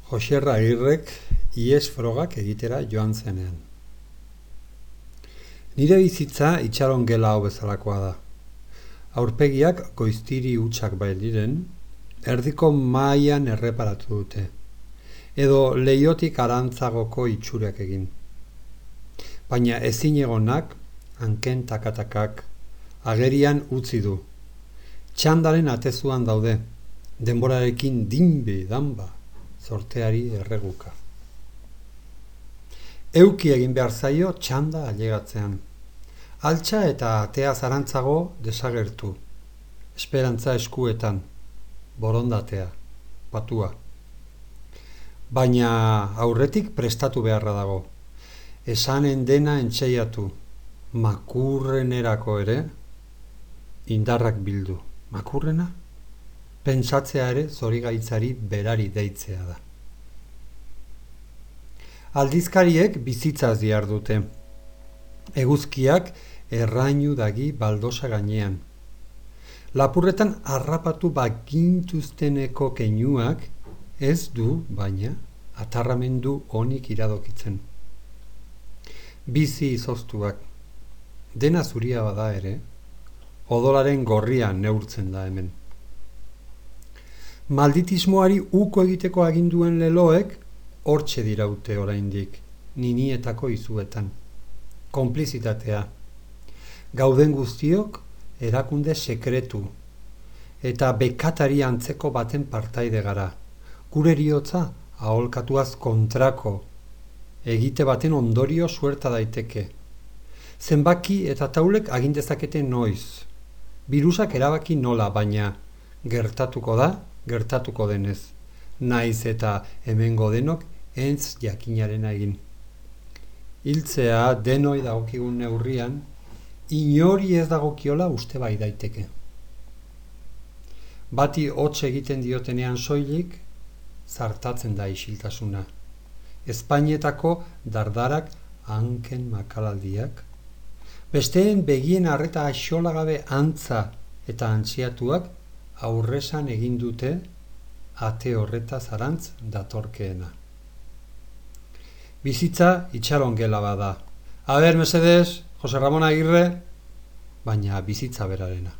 Joxerra Agirrek ihes frogak egitera joan zenean. Nire bizitza itxaron gela hau bezalakoa da. Aurpegiak goiztiri hutsak bailiren, erdiko mahaian erreparatu dute, edo leiotik arantzagoko itxurak egin. Baina ezin egonak, hanken takatakak, agerian utzi du. Txandaren atezuan daude, denborarekin danba, zorteari erreguka. Euki egin behar zaio txanda ailegatzean. Altxa eta atea zarantzago desagertu. Esperantza eskuetan, borondatea, patua. Baina aurretik prestatu beharra dago. Esanen dena entxeiatu, makurrenerako ere, indarrak bildu. Makurrena? Pentsatzea ere zorigaitzari berari deitzea da. Aldizkariek bizitzaz dihardute. Eguzkiak errainu dagi baldosa gainean. Lapurretan harrapatu bagintuzteneko keinuak ez du, baina, atarramendu onik iradokitzen. Bizi izoztuak. Dena zuria bada ere, odolaren gorria neurtzen da hemen. Malditismoari uko egiteko aginduen leloek hortxe diraute oraindik, ninietako izuetan. Konplizitatea. Gauden guztiok erakunde sekretu eta bekatari antzeko baten partaide gara. Gure eriotza aholkatuaz kontrako, egite baten ondorio suerta daiteke. Zenbaki eta taulek agindezakete noiz. Birusak erabaki nola, baina gertatuko da, gertatuko denez. Naiz eta hemengo denok entz jakinarena egin. Hiltzea denoi dagokigun neurrian, inori ez dagokiola uste bai daiteke. Bati hots egiten diotenean soilik, zartatzen da isiltasuna. Espainietako dardarak hanken makalaldiak, besteen begien arreta axolagabe antza eta antziatuak aurresan egin dute ate horreta zarantz datorkeena. Bizitza itxaron gela bada. Aber, mesedez, Jose Ramon Agirre, baina bizitza berarena.